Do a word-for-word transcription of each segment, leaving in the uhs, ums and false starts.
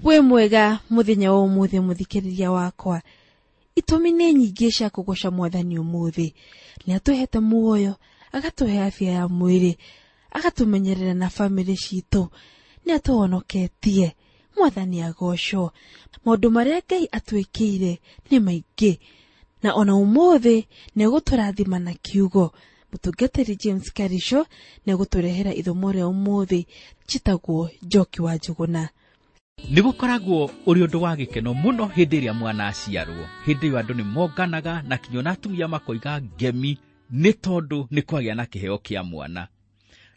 Wĩ mwega mũthenya wa ũmũthĩ mũthikĩrĩria wakwa. Itũmi nĩ nyingĩ cia kũgoca mwathani ũmũthĩ. Nĩ atũhete muoyo, agatũhe afya ya mwĩrĩ, agatũmenyerera na bamĩrĩ citũ, nĩ atũhonoketie. Mwathani agocwo. Maũndũ marĩa Ngai atwĩkĩire nĩ maingĩ, na ona ũmũthĩ nĩ egũtũrathima na kiugo. Mũtungatĩri James Karisho nĩ egũtũrehera ithomo rĩa ũmũthĩ njĩtagwo Njoki wa Njũgũna. Nĩ gũkoragwo ũrĩ ũndũ wa gĩkeno mũno hĩndĩ ĩrĩa mwana aciarwo. Hĩndĩ ĩyo andũ nĩ monganaga na kinya ona atumia makoiga ngemi nĩ tondũ nĩ kwagĩa na kĩheo kĩa mwana.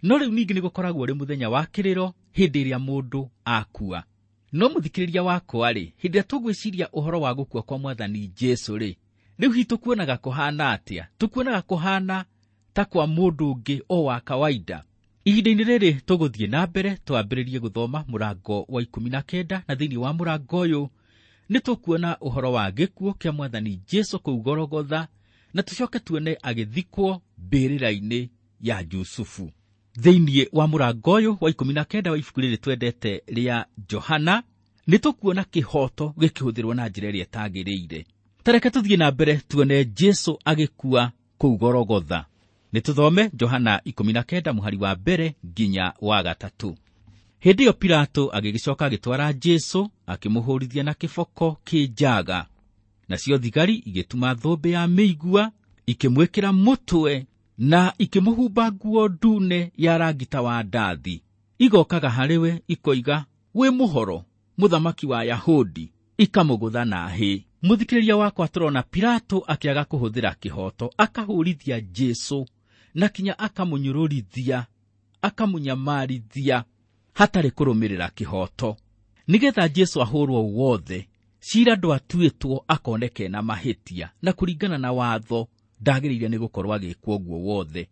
No rĩu ningĩ nĩ gũkoragwo ũrĩ mũthenya wa kĩrĩro hĩndĩ ĩrĩa mũndũ akua. No mũthikĩrĩria wakwa rĩ, hĩndĩ ĩrĩa tũgwĩciria ũhoro wa gũkua kwa mwathani Jesũ rĩ, rĩu hihi tũkuonaga kũhana atĩa? Tũkuonaga kũhana ta kwa mũndũ ũngĩ o wa kawaida. Ihinda-inĩ rĩrĩ tũgũthiĩ na mbere twambĩrĩrie gũthoma mũrango wa ikũmi na kenda, na thĩinĩ wa mũrango ũyũ nĩ tũkuona ũhoro wa gĩkuũ kĩa mwathani Jesũ kũu Gologotha, na tũcoke tuone agĩthikwo mbĩrĩra-inĩ ya Jusufu. Thĩinĩ wa mũrango ũyũ wa ikũmi na kenda wa ibuku rĩrĩ twendete rĩa Johana, nĩ tũkuona kĩhoto gĩkĩhũthĩrwo na njĩra ĩrĩa ĩtagĩrĩire. Ta reke tũthiĩ na mbere tuone Jesũ agĩkua kũu Gologotha. Nĩ tũthome Johana ikũmi na kenda mũhari wa mbere nginya wa gatatũ. Hĩndĩ ĩyo Pilato agĩgĩcoka agĩtwara Jesũ akĩmũhũrithia na kĩboko kĩ njaga. Nacio thigari igĩtuma thũmbĩ ya mĩigua, ikĩmwĩkĩra mũtwe na ikĩmũhumba nguo ndune ya rangi ta wa ndathi. Igokaga harĩ we ikoiga, wĩ mũhoro, mũthamaki wa Yahudi, ikamũgũtha na hĩ. Mũthikĩrĩria wakwa, tũrona Pilato akĩaga kũhũthĩra kĩhoto, akahũrithia Jesũ na kinya akamũnyũrũrithia, akamũnyamarithia hatarĩ kũrũmĩrĩra kĩhoto. Nĩgetha Jesũ ahũrwo wothe, cira ndwatuĩtwo akoneke na mahĩtia, na kũringana na watho ndagĩrĩire nĩ gũkorwo agĩkwo ũguo wothe.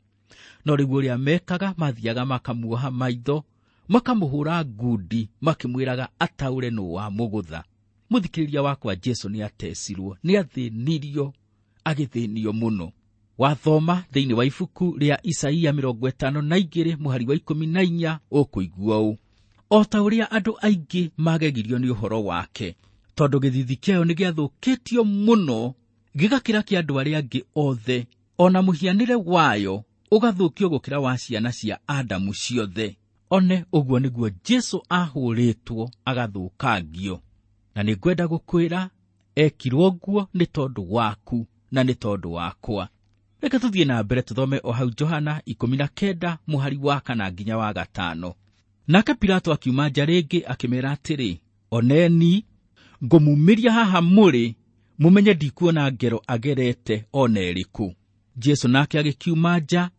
No rĩu ũrĩa mekaga, mathiaga makamuoha maitho, makamũhũra ngundi, makĩmwĩraga ataũre nũ wamũgũtha. Mũthikĩrĩria wakwa, Jesũ nĩ atecirwo, nĩ athĩnirio, agĩthĩnio mũno. Wathoma thĩinĩ wa ibuku rĩa Isaia mĩrongo ĩtano na igĩrĩ mũhari wa ikũmi na inya ũkũigua ũũ: o ta ũrĩa andũ aingĩ magegirio nĩ ũhoro wake, tondũ gĩthithi kĩayo nĩ gĩathũkĩtio mũno gĩgakĩra kĩa andũ arĩa angĩ othe, ona mũhianĩre wayo ũgathũkio gũkĩra wa ciana cia Adamu ciothe. One ũguo nĩguo Jesũ ahũrĩtwo agathũkangio. Na nĩ ngwenda gũkwĩra ekirwo ũguo nĩ tondũ waku na nĩ tondũ wakwa. Reke tũthiĩ na mbere tũthome o hau Johana ikũmi na kenda mũhari wa kana nginya wa gatano. Nake Pilato akiuma nja rĩngĩ akĩmera atĩrĩ, oneni ngũmumĩria haha mũrĩ, mũmenye ndikuona ngero agerete ona ĩrĩkũ. Jesũ nake agĩkiuma nja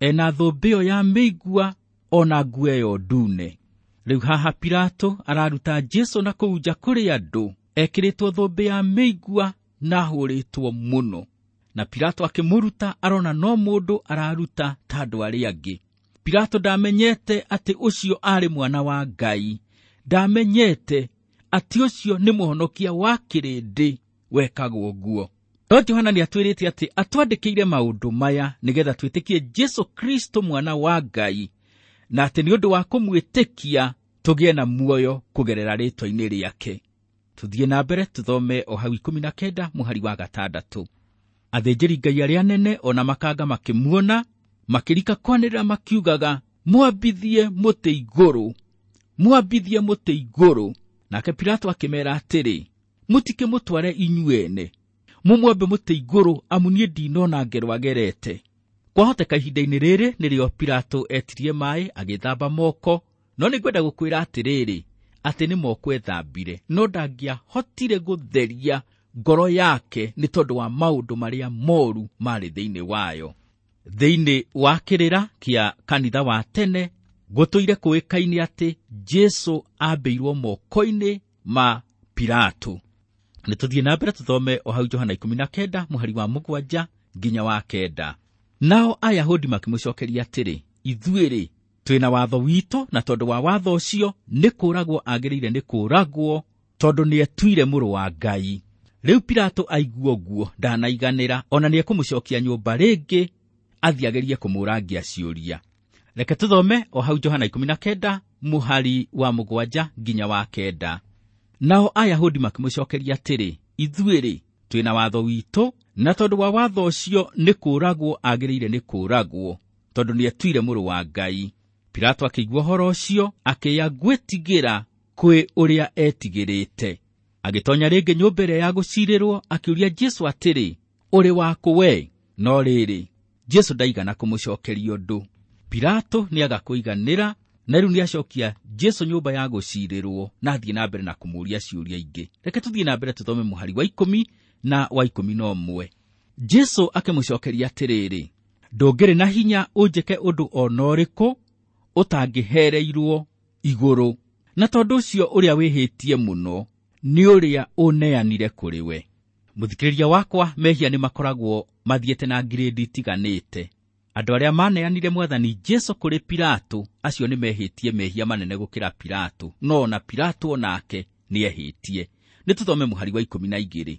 ena thũmbĩ ĩyo ya mĩigua ona nguo ĩyo ndune. Rĩu haha Pilato araruta Jesũ na kũu nja kũrĩ andũ, ekĩrĩtwo thũmbĩ ya mĩigua na ahũrĩtwo mũno. Na Pilato akĩmũruta arona no mũndũ araruta ta andũ arĩa angĩ. Pilato ndamenyete atĩ ũcio arĩ mwana wa Ngai, ndamenyete atĩ ũcio nĩ mũhonokia wa kĩrĩndĩ wekagwo ũguo. No Johana nĩ atwĩrĩte atĩ atwandĩkĩire maũndũ maya nĩgetha twĩtĩkie Jesũ Kristo mwana wa Ngai, na atĩ nĩ ũndũ wa kũmwĩtĩkia tũgĩe na muoyo kũgerera rĩĩtwa-inĩ rĩake. Tũthiĩ na mbere tũthome o hau ikũmi na kenda mũhari wa gatandatũ. Athĩnjĩri Ngai arĩa anene ona makanga makĩmuona, makĩrika kwanĩrĩra makiugaga, mwambithie mũtĩ igũrũ, mwambithie mũtĩ igũrũ. Nake Pilato akĩmera atĩrĩ, mũtikĩmũtware inyuene, mũmwambe mũtĩ igũrũ, amu niĩ ndinona ngero agerete. Kwahoteka ihinda-inĩ rĩrĩ nĩrĩo Pilato etirie maĩ agĩthamba moko, no nĩngwenda gũkwĩra atĩrĩrĩ, atĩ nĩ moko ethambire, no ndangĩahotire gũtheria ngoro yake nĩ tondũ wa maũndũ marĩa moru marĩ thĩinĩ wayo. Thĩinĩ wa kĩrĩra kĩa kanitha wa tene gũtũire kũĩkaine atĩ Jesũ ambĩirwo moko-inĩ ma Pilato. Nĩ tũthiĩ na mbere tũthome o hau Johana ikũmi na kenda mũhari wa mũgwanja nginya wa kenda. Nao Ayahudi makĩmũcokeria atĩrĩ, ithuĩ-rĩ twĩna watho witũ, na tondũ wa watho ũcio nĩ kũũragwo agĩrĩire nĩ kũũragwo, tondũ nĩetuire mũrũ wa Ngai. Rĩu Pilato aigua ũguo ndanaiganĩra, ona nĩekũmũcokia nyũmba rĩngĩ athiĩ agerie kũmũrangia ciũria. Reke tũthome o hau Johana ikũmi na kenda mũhari wa mũgwanja nginya wa kenda. Nao Ayahudi makĩmũcokeria atĩrĩ, ithuĩ-rĩ, twĩna watho witũ, na tondũ wa watho ũcio nĩ kũũragwo agĩrĩire nĩ kũũragwo, tondũ nĩetuire mũrũ wa Ngai. Pilato akĩigua ũhoro ũcio, akĩya gwĩtigĩra kwĩ ũrĩa etigĩrĩte. Agĩtonya rĩngĩ nyũmba ĩrĩa ya gũcirĩrwo, akĩũria Jesũ atĩrĩ, ũrĩ wakũ we? No rĩrĩ, Jesũ ndaigana kũmũcokeria ũndũ. Pilato nĩaga kũiganĩra, na rĩu nĩacokia Jesũ nyũmba ya gũcirĩrwo na athiĩ na mbere na kũmũũria ciũria ingĩ. Reke tũthiĩ na mbere tũthome mũhari wa ikũmi na wa ikũmi na ũmwe. Jesũ akĩmũcokeria atĩrĩrĩ, ndũngĩrĩ na hinya ũnjĩke ũndũ o na ũrĩkũ ũtangĩhereirwo igũrũ, na tondũ ũcio ũrĩa wĩhĩtie mũno nĩ ũrĩa ũneanire kũrĩ we. Mũthikĩrĩria wakwa, mehia nĩ makoragwo mathiĩte na ngirĩndi itiganĩte. Andũ arĩa maneanire mwathani Jesũ kũrĩ Pilato, acio nĩ mehĩtie mehia manene gũkĩra Pilato, no ona Pilato onake nĩehĩtie. Nĩ tũthome mũhari wa ikũmi na igĩrĩ.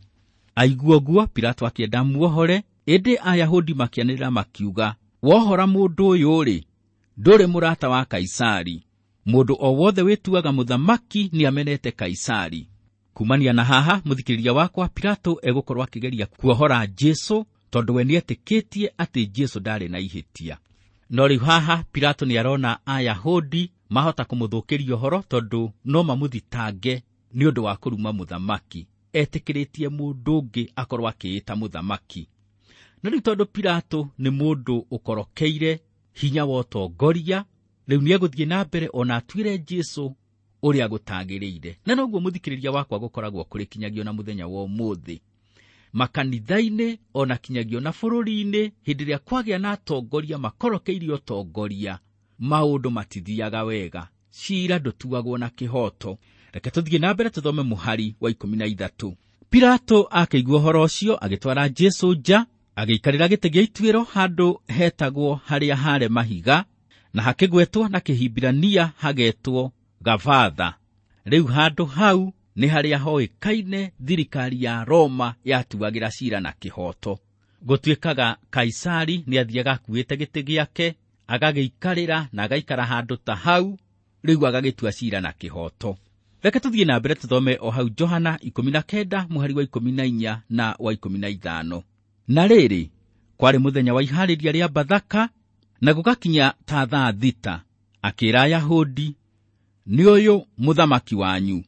Aigua ũguo, Pilato akĩenda muohore, ĩndĩ Ayahudi makĩanĩrĩra makiuga, wohora mũndũ ũyũ-rĩ, ndũrĩ mũrata wa Kaisari. Mũndũ o wothe wĩtuaga mũthamaki nĩamenete Kaisari. Kumania na haha, mũthikĩrĩria wakwa, Pilato egũkorwo akĩgeria kuohora Jesũ tondũ we nĩetĩkĩtie atĩ Jesũ ndarĩ na ihĩtia. No rĩu haha Pilato nĩarona Ayahudi mahota kũmũthũkĩria ũhoro tondũ no mamũthitange nĩ ũndũ wa kũruma mũthamaki. Etĩkĩrĩtie mũndũ ũngĩ akorwo akĩĩta mũthamaki. Na rĩu tondũ Pilato nĩ mũndũ ũkorokeire hinya wa ũtongoria, rĩu nĩegũthiĩ na mbere ona atuĩre Jesũ ũrĩa gũtagĩrĩire. Na noguo mũthikĩrĩria wakwa gũkoragwo kũrĩ kinyagia na mũthenya wa ũmũthĩ. Makanitha-inĩ ona kinyagia na bũrũri-inĩ, hĩndĩ ĩrĩa kwagĩa na atongoria makorokeire ũtongoria, maũndũ matithiaga wega, cira ndũtuagwo na kĩhoto. Reke tũthiĩ na mbere tũthome mũhari wa ikũmi na ithatũ. Pilato akĩigua ũhoro ũcio, agĩtwara Jesũ nja, agĩikarĩra gĩtĩ gĩa ituĩro handũ hetagwo harĩa hare mahiga, na hakĩgwetwo na Kĩhibirania hagetwo Gabatha. Rĩu handũ hau nĩ harĩa hoĩkaine thirikari ya Roma yatuagĩra cira na kĩhoto. Gũtuĩkaga Kaisari nĩathiaga akuĩte gĩtĩ gĩake, agagĩikarĩra na agaikara handũ ta hau, rĩu agagĩtua cira na kĩhoto. Reke tũthiĩ na mbere tũthome o hau Johana ikũmi na kenda mũhari wa ikũmi na inya na wa ikũmi na ithano. Na rĩrĩ, kwarĩ mũthenya wa iharĩria rĩa Bathaka, na gũgakinya ta thaa thita, akĩĩra Ayahudi, nĩ ũyũ mũthamaki wanyu.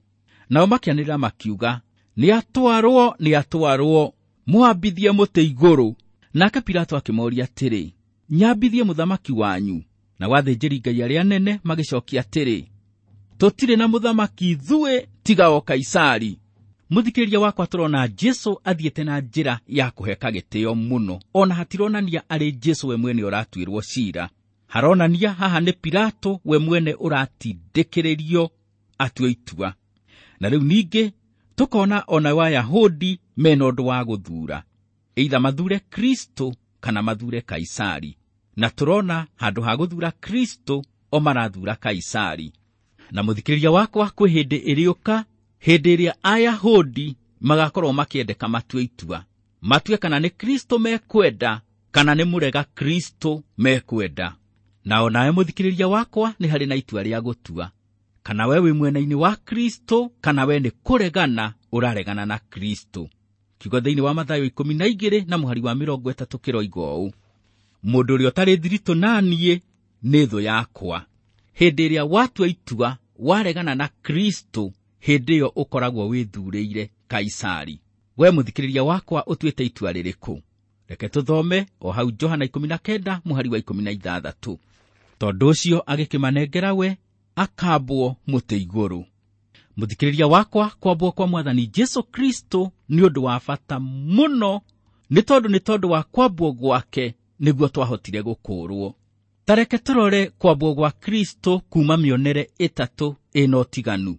Nao makĩanĩrĩra makiuga, nĩatwarwo, nĩatwarwo, mwambithie mũtĩ igũrũ. Nake Pilato akĩmoria atĩrĩ, nyambithie mũthamaki wanyu? Nao athĩnjĩri-Ngai arĩa anene magĩcokia atĩrĩ, tũtirĩ na mũthamaki ithuĩ tiga o Kaisari. Mũthikĩrĩria wakwa, tũrona Jesũ athiĩte na njĩra ya kũheka gĩtĩo mũno, ona hatironania arĩ Jesũ we mwene ũratuĩrwo cira. Haronania haha nĩ Pilato we mwene ũratindĩkĩrĩrio atue itua. Na rĩu ningĩ tũkona ona Ayahudi mena ũndũ wa gũthura, either mathure Kristo kana mathure Kaisari. Na tũrona handũ ha gũthura Kristo o marathura Kaisari. Na mũthikĩrĩria wakwa, kwĩ hĩndĩ ĩrĩũka, hĩndĩ ĩrĩa Ayahudi magakorwo makĩendeka matue itua, matue kana nĩ Kristo mekwenda kana nĩ mũrega Kristo mekwenda. Na onawe mũthikĩrĩria wakwa, nĩ harĩ na itua rĩa gũtua, kana we wĩ mwena-inĩ wa Kristo kana we nĩ kũregana ũraregana na Kristo. Kiugo thĩinĩ wa Mathayo ikũmi na igĩrĩ na mũhari wa mĩrongo ĩtatũ kĩroiga ũũ, mũndũ ũrĩa ũtarĩ thiritũ na niĩ nĩ thũ yakwa. Hĩndĩ ĩrĩa watua itua waregana na Kristo, hĩndĩ ĩyo ũkoragwo wĩthurĩire Kaisari. We mũthikĩrĩria wakwa, ũtuĩte itua rĩrĩkũ? Reke tũthome o hau Johana ikũmi na kenda mũhari wa ikũmi na ithathatũ. Tondũ ũcio agĩkĩmanengera we akambwo mũtĩ igũrũ. Mũthikĩrĩria wakwa, kwambwo kwa mwathani Jesũ Kristo nĩ ũndũ wa bata mũno, nĩ tondũ nĩ tondũ wa kwambwo gwake nĩguo twahotire gũkũũrwo. Ta reke tũrore kwambwo gwa Kristo kuma mĩonere ĩtatũ ĩna ũtiganu.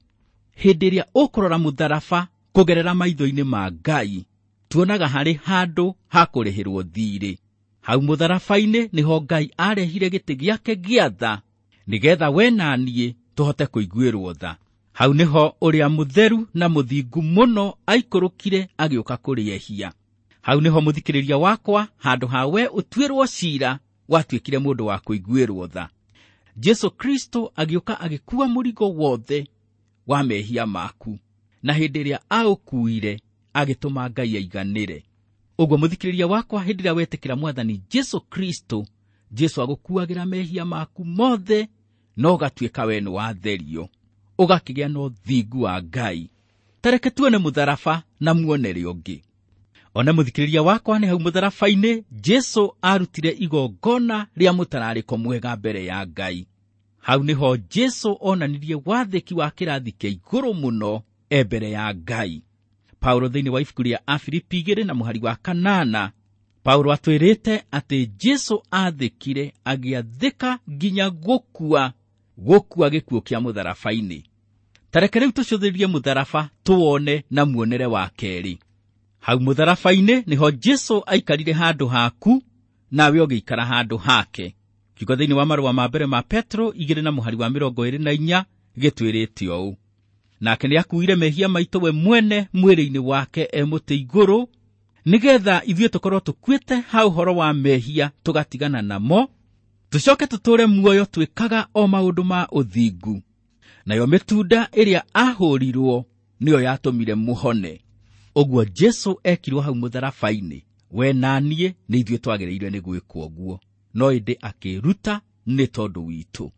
Hĩndĩ ĩrĩa ũkũrora mũtharaba kũgerera maitho-inĩ ma Ngai, tuonaga harĩ handũ ha kũrĩhĩrwo thiirĩ. Hau mũtharaba-inĩ nĩho Ngai arehire gĩtĩ gĩake gĩa tha, nĩgetha we na niĩ tũhote kũiguĩrwo tha. Hau nĩho ũrĩa mũtheru na mũthingu mũno aikũrũkire agĩũka kũrĩ ehia. Hau nĩho mũthikĩrĩria wakwa, handũ ha we ũtuĩrwo cira, watuĩkire mũndũ wa kũiguĩrwo tha. Jesũ Kristo agĩũka agĩkua mũrigo wothe wa mehia maku, Na hĩndĩ ĩrĩa aũkuire agĩtũma Ngai aiganĩre. Ũguo mũthikĩrĩria wakwa, hĩndĩ ĩrĩa wetĩkĩra Mwathani Jesu Kristo, Jesu agũkuagĩra mehia maku mothe na ũgatuĩka we nĩ watherio, ũgakĩgĩa na ũthingu wa Ngai. Tareke tuone mũtharaba na muonere ũngĩ. Ona mũthikĩrĩria wakwa, nĩ hau mũtharaba-inĩ Jesu arutire igongona rĩa mũtararĩko mwega mbere ya Ngai. Hau nĩho Jesu onanirie wathĩki wa kĩrathi kĩa igũrũ mũno e mbere ya Ngai. Paulo thĩinĩ wa ibuku rĩa Afilipi igĩrĩ na mũhari wa kanana, Paulo atwĩrĩte atĩ Jesu athĩkire agĩathĩka nginya gũkua, gũkua gĩkuũ kĩa mũtharaba-inĩ. Tareke rĩu tũcũthĩrĩrie mũtharaba tuwone na muonere wa kerĩ. Hau mũtharaba-inĩ nĩho Jesu aikarire handũ haku, nawe ũgĩikara handũ hake. Kiugo thĩinĩ wa marũa ma mbere ma Petro igĩrĩ na mũhari wa mĩrongo ĩrĩ na inya gĩtwĩrĩte ũũ: nake nĩakuire mehia maitũ we mwene mwĩrĩ-inĩ wake e mũtĩ igũrũ, nĩgetha ithuĩ tũkorwo tũkuĩte ha ũhoro wa mehia tũgatigana namo, tũcoke tũtũũre muoyo twĩkaga o maũndũ ma ũthingu. Nayo mĩtunda ĩrĩa ahũrirwo nĩyo yatũmire mũhone. Ũguo Jesu ekirwo hau mũtharaba-inĩ, we na niĩ nĩ ithuĩ twagĩrĩire nĩ gwĩkwo ũguo, no ĩndĩ akĩruta nĩ tondũ witũ.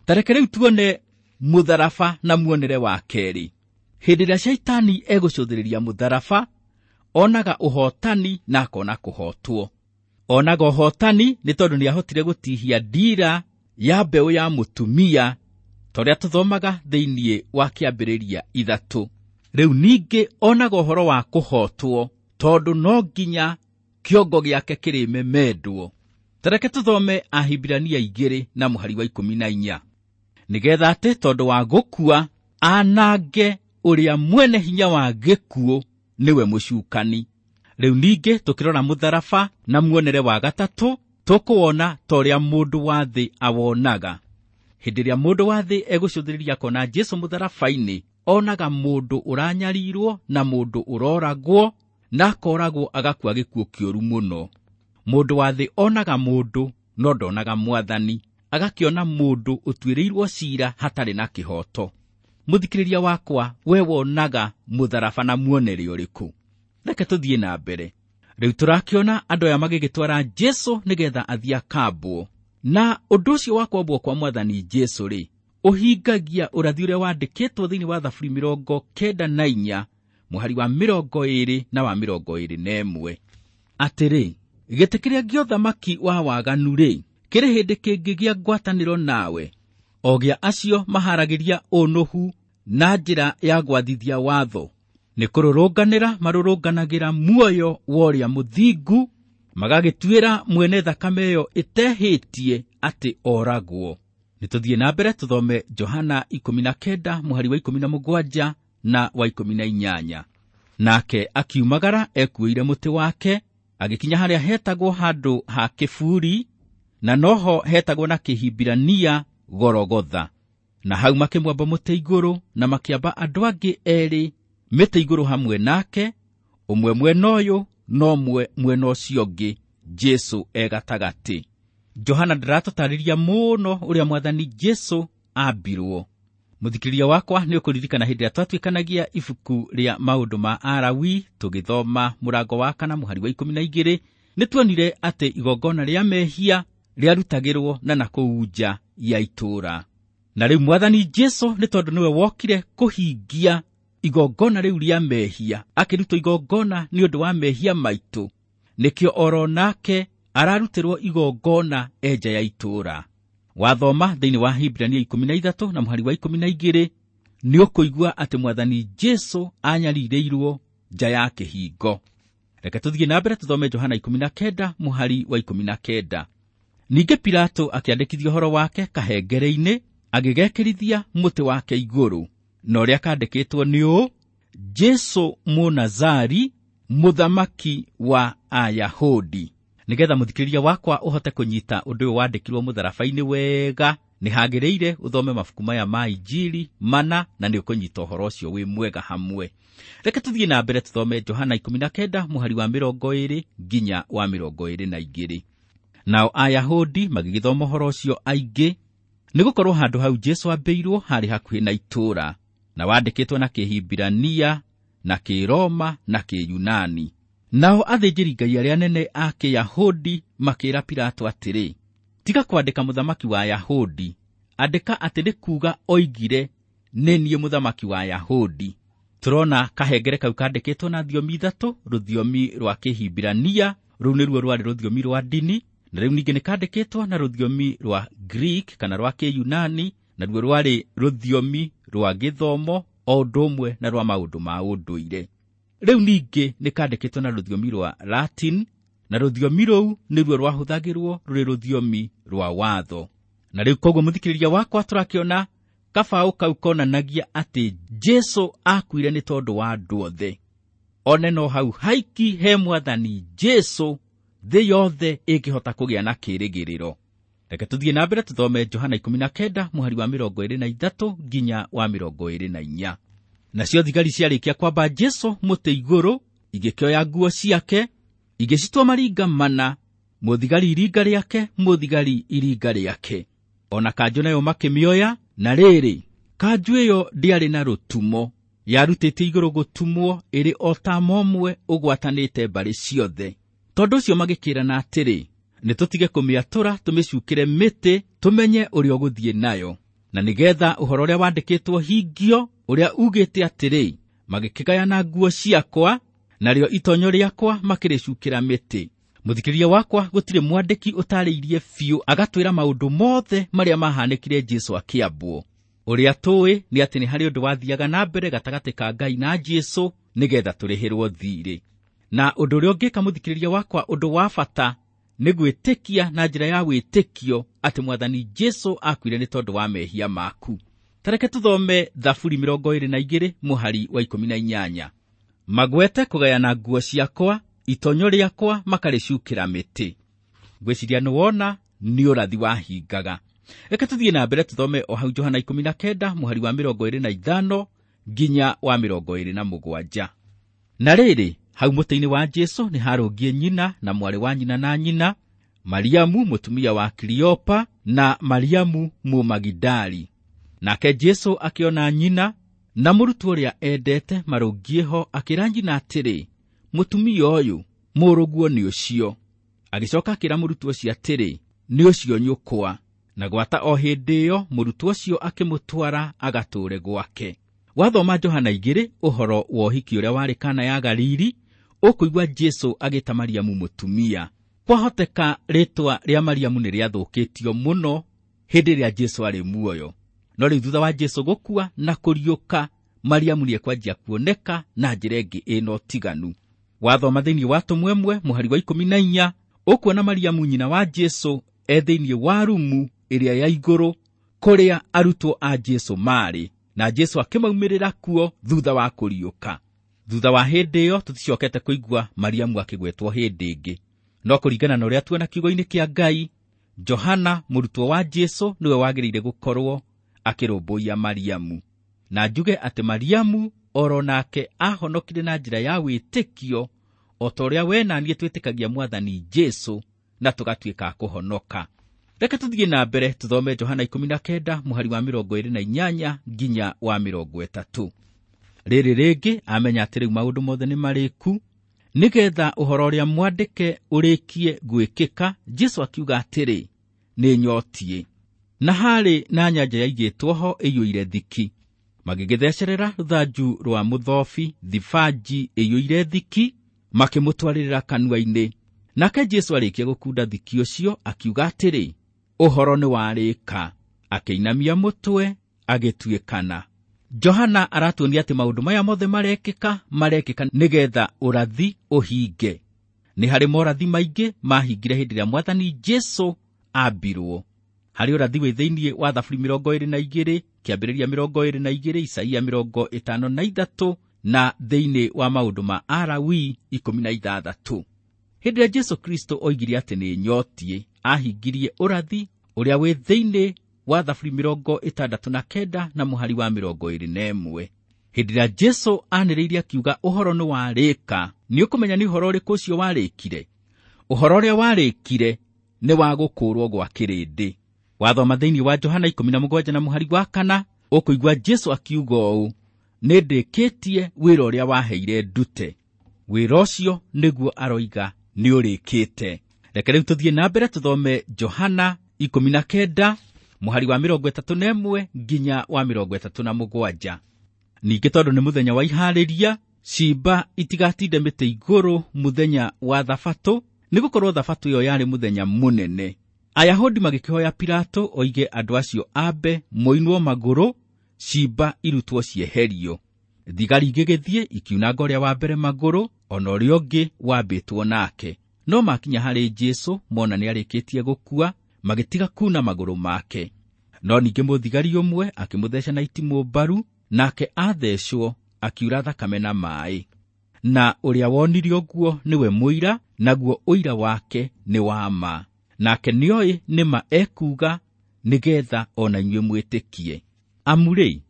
Tareke rĩu tuone mũtharaba na muonere wa kerĩ. Hĩndĩ ĩrĩa Shaitani egũcũthĩrĩria mũtharaba, onaga ũhotani na akona kũhotwo. Onaga ũhotani nĩ tondũ nĩahotire gũtihia ndira ya mbeũ ya mũtumia, ta ũrĩa tũthomaga thĩinĩ wa kĩambĩrĩria ithatũ. Rĩu ningĩ onaga ũhoro wa kũhotwo, tondũ no nginya kĩongo gĩake kĩrĩmemendwo. Tareke tũthome Ahibirania igĩrĩ na mũhari wa ikũmi na inya. Nĩgetha atĩ tondũ wa gũkua anange ũrĩa mwene hinya wa gĩkuũ, nĩwe mũcukani. Rĩu ningĩ tũkĩrora mũtharaba na muonere wa gatatũ, tũkũwona ta ũrĩa mũndũ wa thĩ awonaga. Hĩndĩ ĩrĩa mũndũ wa thĩ egũcũthĩrĩria akona Jesu mũtharaba-inĩ, onaga mũndũ ũranyarirwo na mũndũ ũroragwo, na akoragwo agakua gĩkuũ kĩũru mũno. Mũndũ wa thĩ onaga mũndũ no ndonaga Mwathani, agakĩona mũndũ ũtuĩrĩirwo ciira hatarĩ na kĩhooto. Mũthikĩrĩria wakwa, we wonaga mũtharaba na muonere ũrĩkũ? Reke tũthiĩ na mbere. Rĩu tũrakĩona andũ aya magĩgĩtwara Jesu nĩgetha athiĩ akambwo. Na ũndũ ũcio wa kwambwo kwa Mwathani Jesu rĩ, ũhingagia ũrathi ũrĩa wandĩkĩtwo thĩinĩ wa Thaburi mĩrongo kenda na inya, mũhari wa mĩrongo ĩrĩ na wa mĩrongo ĩrĩ na ĩmwe. Atĩrĩ, gĩtĩ kĩrĩa gĩa ũthamaki wa waganu rĩ, kĩrĩ hĩndĩ kĩngĩgĩa ngwatanĩro nawe, o gĩa acio maharagĩria ũnũhu na njĩra ya gwathithia watho, nĩ kũrũrũnganĩra marũrũnganagĩra muoyo wa ũrĩa mũthingu, magagĩtuĩra mwene thakame ĩyo ĩtehĩtie atĩ oragwo. Nĩ tũthiĩ na mbere tũthome Johana ikũmi na kenda mũhari wa ikũmi na mũgwanja na wa ikũmi na inyanya. Nake akiumagara ekuĩire mũtĩ wake, agĩkinya harĩa hetagwo handũ ha kĩburi, na noho hetagwo na Kĩhibirania Gorogotha. Na hau makĩmwamba mũtĩ igũrũ, na makĩamba andũ angĩ erĩ mĩtĩ igũrũ hamwe nake, ũmwe mwena ũyũ na ũmwe mwena ũcio ũngĩ, Jesu e gatagatĩ. Johana ndaratũtarĩria mũno ũrĩa Mwathani Jesu ambirwo. Mũthikĩrĩria wakwa, nĩ ũkũririkana hĩndĩ ĩrĩa twatuĩkanagia ibuku rĩa maũndũ ma Alawi tũgĩthoma mũrango wa kana mũhari wa ikũmi na igĩrĩ, nĩ tuonire atĩ igongona rĩa mehia rĩarutagĩrwo na nakũu nja ya itũũra. Na rĩu Mwathani Jesu nĩ tondũ nĩwe wokire kũhingia igongona rĩu rĩa mehia, akĩrutwo igongona nĩ ũndũ wa mehia maitũ, nĩkĩo oro nake ararutĩrwo igongona e nja ya itũũra. Wathoma thĩinĩ wa Hibirania ikũmi na ithatũ na mũhari wa ikũmi na igĩrĩ, nĩ ũkũigua atĩ Mwathani Jesu anyarirĩirwo nja ya kĩhingo. Reke tũthiĩ na mbere tũthome Johana ikũmi na kenda mũhari wa ikũmi na kenda. Ningĩ Pilato akĩandĩkithia ũhoro wake kahengere-inĩ, agĩgekĩrithia mũtĩ wake igũrũ, na ũrĩa kandĩkĩtwo nĩ ũũ: Jesu Mũnazari, mũthamaki wa Ayahudi. Nĩgetha mũthikĩrĩria wakwa ũhote kũnyita ũndũ ũyũ wandĩkirwo mũtharaba-inĩ wega, nĩ hagĩrĩire ũthome mabuku maya ma Injili mana, na nĩ ũkũnyita ũhoro ũcio wĩ mwega hamwe. Reke tũthiĩ na mbere tũthome Johana ikũmi na kenda mũhari wa mĩrongo ĩrĩ nginya wa mĩrongo ĩrĩ na igĩrĩ. Nao Ayahudi magĩgĩthoma ũhoro ũcio aingĩ, nĩgũkorwo handũ hau Jesu ambĩirwo harĩ hakuhĩ na itũũra, na wandĩkĩtwo na Kĩhibirania na Kĩroma na Kĩyunani. Nao athĩnjĩri-Ngai arĩa anene a Kĩyahudi makĩĩra Pilato atĩrĩ, tiga kwandĩka mũthamaki wa Ayahudi, andĩka atĩ nĩ kuuga oigire nĩ niĩ mũthamaki wa Ayahudi. Tũrona kahengere kau kandĩkĩtwo na thiomi ithatũ, rũthiomi rwa Kĩhibirania, rũu nĩruo rwarĩ rũthiomi rwa ndini, na rĩu ningĩ nĩ kandĩkĩtwo na rũthiomi rwa Greek kana rwa Kĩyunani, naruo rwarĩ rũthiomi rwa gĩthomo o ũndũ ũmwe na rwa maũndũ ma ũndũire. Rĩu ningĩ nĩ kandĩkĩtwo na rũthiomi rwa Latin, na rũthiomi rũu nĩruo rwahũthagĩrwo rũrĩ rũthiomi rwa watho. Na rĩu koguo mũthikĩrĩria wakwa tũrakĩona kabaũ kau konanagia atĩ Jesũ akuire nĩ tondũ wa andũ othe. One no hau haiki he mwathani Jesũ thĩ yothe ĩngĩhota kũgĩa na kĩĩrĩgĩrĩro. Reke tũthiĩ na mbere tũthome Johana ikũmi na kenda mũhari wa mĩrongo ĩrĩ na ithatũ nginya wa mĩrongo ĩrĩ na inya. Nacio thigari ciarĩkia kwamba Jesũ mũtĩ igũrũ, igĩkĩoya nguo ciake, igĩcitua maringa mana, mũthigari iringa rĩake, mũthigari iringa rĩake. Ona kanjũ nayo makĩmĩoya, na rĩrĩ, kanjũ ĩyo ndĩarĩ na rũtumo, yarutĩte igũrũ gũtumwo ĩrĩ o ta momwe ũgwatanĩte mbarĩ ciothe. Tondũ ũcio magĩkĩrana atĩrĩ, nĩ tũtige kũmĩatũra tũmĩcukĩre mĩtĩ tũmenye ũrĩa ũgũthiĩ nayo, na nĩgetha ũhoro ũrĩa wandĩkĩtwo hingio ũrĩa ugĩte atĩrĩ, magĩkĩgayana nguo ciakwa narĩo itonyo rĩakwa makĩrĩcukĩra mĩtĩ. Mũthikĩrĩria wakwa, gũtirĩ mwandĩki ũtarĩirie biũ agatwĩra maũndũ mothe marĩa mahanĩkire Jesũ akĩambwo. Ũrĩa tũĩ nĩ atĩ nĩ harĩ ũndũ wathiaga na mbere gatagatĩ ka Ngai na Jesũ nĩgetha tũrĩhĩrwo thiirĩ. Na ũndũ ũrĩa ũngĩka mũthikĩrĩria wakwa, ũndũ wa bata nĩ gwĩtĩkia na njĩra ya wĩtĩkio atĩ mwathani Jesũ akuire nĩ tondũ wa mehia maku. Tareke tũthome Thaburi mĩrongo ĩrĩ na igĩrĩ mũhari wa ikũmi na inyanya. Magwete kũgayana nguo ciakwa, itonyo rĩakwa makarĩcukĩra mĩtĩ. Ngwĩciria nĩwona nĩ ũrathi wahingaga. Reke tũthiĩ na mbere tũthome o hau Johana ikũmi na kenda mũhari wa mĩrongo ĩrĩ na ithano nginya wa mĩrongo ĩrĩ na mũgwanja. Na rĩrĩ, hau mũtĩ-inĩ wa Jesũ nĩ harũngiĩ nyina na mwarĩ wa nyina na nyina, Mariamu mũtumia wa Kiliopa na Mariamu Mũmagidali. Nake Jesũ akĩona nyina na mũrutwo ũrĩa endete marũngiĩ ho, akĩra nyina atĩrĩ, mũtumia ũyũ, mũrũguo nĩ ũcio. Agĩcoka akĩra mũrutwo ũcio atĩrĩ, nĩ ũcio nyũkwa. Na gwata o hĩndĩ ĩyo mũrutwo ũcio akĩmũtwara agatũũre gwake. Wathoma Johana igĩrĩ ũhoro wa ũhiki ũrĩa warĩ Kana ya Galili, ũkũigua Jesũ agĩta Mariamu mũtumia. Kwahoteka rĩtwa rĩa Mariamu nĩ rĩathũkĩtio mũno hĩndĩ ĩrĩa Jesũ arĩ muoyo. No rĩu thutha wa Jesũ gũkua na kũriũka, Mariamu nĩekwanjia kuoneka na njĩra ĩngĩ ĩna ũtiganu. Wathoma thĩinĩ wa Tũmwemwe mũhari wa ikũmi na inya, ũkuona Mariamu nyina wa Jesũ e thĩinĩ wa rumu ĩrĩa ya igũrũ kũrĩa arutwo a Jesũ marĩ, na Jesũ akĩmaumĩrĩra kuo thutha wa kũriũka. Thutha wa hĩndĩ ĩyo tũticokete kũigua Mariamu akĩgwetwo hĩndĩ ĩngĩ. No kũringana na ũrĩa tuona kiugo-inĩ kĩa Ngai, Johana mũrutwo wa Jesũ nĩwe wagĩrĩire gũkorwo akĩrũmbũiya Mariamu. Na njuge atĩ Mariamu oro nake ahonokire na njĩra ya wĩtĩkio o ta ũrĩa we na niĩ twĩtĩkagia mwathani Jesũ na tũgatuĩka a kũhonoka. Reke tũthiĩ na mbere tũthome Johana ikũmi na kenda mũhari wa mĩrongo ĩrĩ na inyanya nginya wa mĩrongo ĩtatũ. Rĩrĩ rĩngĩ amenya atĩ rĩu maũndũ mothe nĩ marĩku, nĩgetha ũhoro ũrĩa mwandĩke ũrĩkie gwĩkĩka, Jesũ akiuga atĩrĩ, nĩ nyotiĩ. Na harĩ na nyanja yaigĩtwo ho ĩiyũire thiki. Magĩgĩthecerera rũthanju rwa mũthobi thibanji ĩiyũire thiki, makĩmũtwarĩrĩra kanua-inĩ. Nake Jesũ arĩkia gũkunda thiki ũcio akiuga atĩrĩ, ũhoro nĩ warĩka. Akĩinamia mũtwe agĩtuĩkana. Johana aratuonia atĩ maũndũ maya mothe marekĩka marekĩka nĩgetha ũrathi ũhinge. Nĩ harĩ morathi maingĩ mahingire hĩndĩ ĩrĩa mwathani Jesũ ambirwo. Harĩ ũrathi wĩ thĩinĩ wa Thaburi mĩrongo ĩrĩ na igĩrĩ, Kĩambĩrĩria mĩrongo ĩrĩ na igĩrĩ, Isaia mĩrongo ĩtano na ithatũ, na thĩinĩ wa maũndũ ma Alawi ikũmi na ithathatũ. Hĩndĩ ĩrĩa Jesũ Kristo oigire atĩ nĩ nyotiĩ, ahingirie ũrathi ũrĩa wĩ thĩinĩ wa Thaburi mĩrongo ĩtandatũ na kenda na mũhari wa mĩrongo ĩrĩ na ĩmwe. Hĩndĩ ĩrĩa Jesũ anĩrĩire akiuga ũhoro nĩ warĩka, nĩ ũkũmenya nĩ ũhoro ũrĩkũ ũcio warĩkire. Ũhoro ũrĩa warĩkire nĩ wa gũkũũrwo gwa kĩrĩndĩ. Wathoma thĩinĩ wa Johana ikũmi na mũgwanja na mũhari wa kana, ũkũigua Jesũ akiuga ũũ, Nĩndĩkĩtie wĩra ũrĩa waheire ndute. Wĩra ũcio nĩguo aroiga nĩũrĩkĩte. Reke rĩu tũthiĩ na mbere tũthome Johana ikũmi na kenda mũhari wa mĩrongo ĩtatũ na ĩmwe nginya wa mĩrongo ĩtatũ na mũgwanja. Ningĩ tondũ nĩ mũthenya wa iharĩria, ciimba itigatinde mĩtĩ igũrũ mũthenya wa thabatũ, nĩgũkorwo thabatũ ĩyo yarĩ mũthenya mũnene. Ayahudi magĩkĩhoya Pilato oige andũ acio ambe moinwo magũrũ, ciimba irutwo cieherio. Thigari igĩgĩthiĩ ikiunanga ũrĩa wa mbere magũrũ, ona ũrĩa ũngĩ wambĩtwo nake. No makinya harĩ Jesũ mona nĩarĩkĩtie gũkua, magĩtiga kuna magũrũ make. No ningĩ mũthigari ũmwe akĩmũtheca na itimũ mbaru, nake athecwo akiura thakame na maaĩ. Na ũrĩa wonire ũguo nĩwe mũira, naguo ũira wake nĩ wa ma. Nake nĩoĩ nĩ ma ekuuga, nĩgetha ona inyuĩ mwĩtĩkie. Amu rĩ,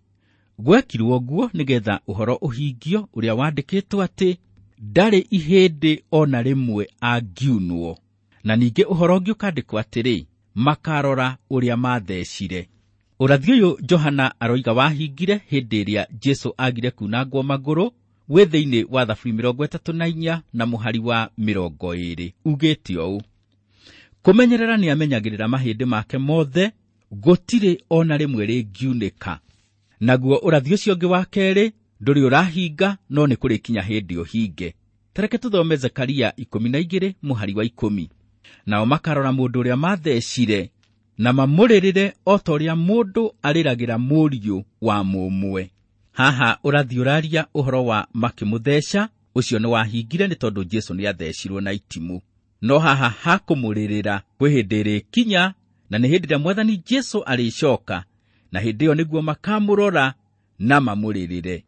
gwekirwo ũguo nĩgetha ũhoro ũhingio ũrĩa wandĩkĩtwo atĩ ndarĩ ihĩndĩ ona rĩmwe angiunwo. Na ningĩ ũhoro ũngĩ ũkandĩkwo atĩrĩ, makarora ũrĩa mathecire. Ũrathi ũyũ Johana aroiga wahingire hĩndĩ ĩrĩa Jesũ agire kunangwo magũrũ, wĩ thĩinĩ wa Thaburi mĩrongo ĩtatũ na inya na mũhari wa mĩrongo ĩĩrĩ, ugĩte ũũ: Kũmenyerera nĩamenyagĩrĩra mahĩndĩ make mothe, gũtirĩ ona rĩmwe rĩngiunĩka. Naguo ũrathi ũcio ũngĩ wa kerĩ ndũrĩ ũrahinga, no nĩ kũrĩkinya hĩndĩ ũhinge. Tareke tũthome Zekaria ikũmi na igĩrĩ mũhari wa ikũmi. Nao makarora mũndũ ũrĩa mathecire, na mamũrĩrĩre o ta ũrĩa mũndũ arĩragĩra mũriũ wa mũmwe. Haha ũrathi ũraria ũhoro wa makĩmũtheca, ũcio nĩ wahingire nĩ tondũ Jesũ nĩathecirwo na itimũ. No haha hakũmũrĩrĩra kwĩ hĩndĩ ĩrĩkinya, na nĩ hĩndĩ ĩrĩa Mwathani Jesũ arĩcoka, na hĩndĩ ĩyo nĩguo makamũrora na mamũrĩrĩre.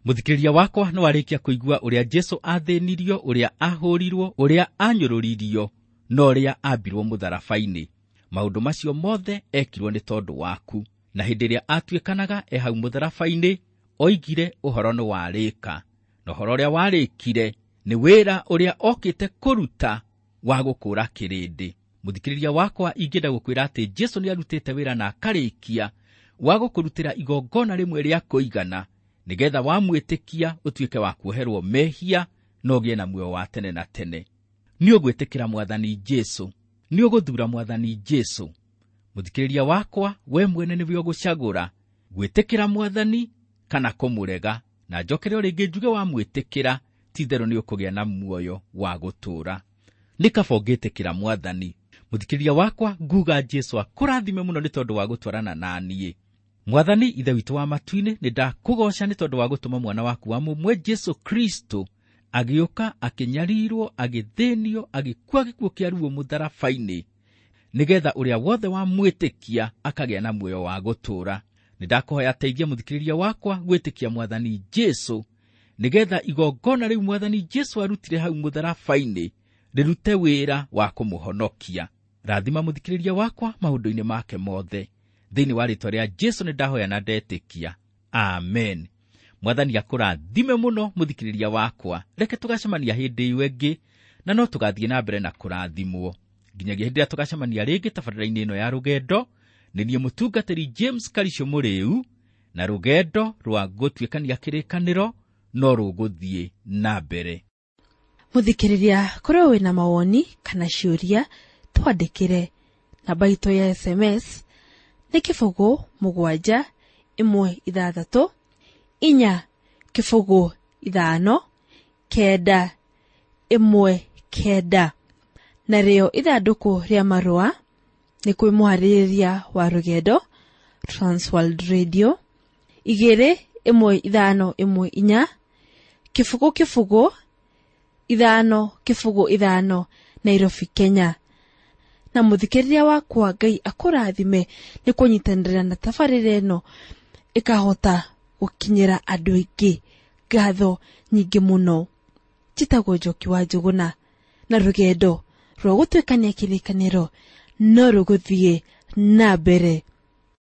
Mũthikĩrĩria wakwa nĩ warĩkia kũigua ũrĩa Jesũ athĩnirio, ũrĩa ahũrirwo, ũrĩa anyũrũririo, na ũrĩa ambirwo mũtharaba-inĩ. Maũndũ macio mothe ekirwo nĩ tondũ waku. Na hĩndĩ ĩrĩa atuĩkanaga e hau mũtharaba-inĩ, oigire ũhoro nĩ warĩka. Na ũhoro ũrĩa warĩkire nĩ wĩra ũrĩa okĩte kũruta wa gũkũũra kĩrĩndĩ. Mũthikĩrĩria wakwa, ingĩenda gũkwĩra atĩ Jesũ nĩarutĩte wĩra na akarĩkia wa gũkũrutĩra igongona rĩmwe rĩa kũigana, nĩgetha wamwĩtĩkia ũtuĩke wa kuoherwo mehia na ũgĩe na muoyo wa tene na tene. Nĩ ũgwĩtĩkĩra Mwathani Jesũ, nĩ ũgũthuura Mwathani Jesũ. Mũthikĩrĩria wakwa, we mwene nĩwe ũgũcagũra gwĩtĩkĩra Mwathani kana kũmũrega. Na njokere o rĩngĩ njuge wamwĩtĩkĩra, ti-itherũ nĩ ũkũgĩa na muoyo wa gũtũũra. Nĩ kaba ũngĩtĩkĩra Mwathani. Mũthikĩrĩria wakwa, nguga Jesũ akũrathime mũno nĩ tondũ wa gũtwarana na niĩ. Mwathani Ithe witũ wa matu-inĩ, nĩ ndakũgooca nĩ tondũ wa gũtũma mwana waku wa mũmwe Jesũ Kristo agĩũka, akĩnyarirwo, agĩthĩnio, agĩkua gĩkuũ kĩa ruo mũtharaba-inĩ, nĩgetha ũrĩa wothe wamwĩtĩkia akagĩa na muoyo wa gũtũũra. Nĩ ndakũhoya teithia mũthikĩrĩria wakwa gwĩtĩkia Mwathani Jesũ, nĩgetha igongona rĩu Mwathani Jesũ arutire hau mũtharaba-inĩ rĩrute wĩra wa kũmũhonokia. Rathima mũthikĩrĩria wakwa maũndũ-inĩ make mothe. Thĩinĩ wa rĩĩtwa rĩa Jesũ nĩ ndahoya na ndetĩkia. Amen. Mwathani akũrathime mũno mũthikĩrĩria wakwa. Reke tũgacemania hĩndĩ ĩyo ĩngĩ, na no tũgathiĩ na mbere na kũrathimwo. Nginyagia hĩndĩ ĩrĩa tũgacemania rĩngĩ tabarĩra-inĩ ĩno ya rũgendo, nĩ niĩ mũtungatĩri James Karisho Mũrĩu, na rũgendo rwa gũtuĩkania kĩrĩkanĩro no rũgũthiĩ na mbere. Mũthikĩrĩria, korwo wĩna mawoni kana ciũria, twandĩkĩre. Namba itũ ya S M S nĩ kĩbũgũ mũgwanja ĩmwe ithathatũ inya kĩbũgũ ithano kenda ĩmwe kenda. Narĩo ithandũkũ rĩa marũa nĩ kwĩ mũharĩrĩria wa rũgendo Transworld Radio igĩrĩ ĩmwe ithano ĩmwe inya kĩbũgũ kĩbũgũ ithano kĩbũgũ ithano Nairobi, Kenya. Na mũthikĩrĩria wakwa, Ngai akũrathime nĩ kũnyitanĩra na tabarĩra ĩno ĩkahota gũkinyĩra andũ aingĩ. Ngatho nyingĩ mũno. Njĩtagwo Njoki wa Njũgũna, na rũgendo rwa gũtuĩkania kĩrĩkanĩro no rũgũthiĩ na mbere.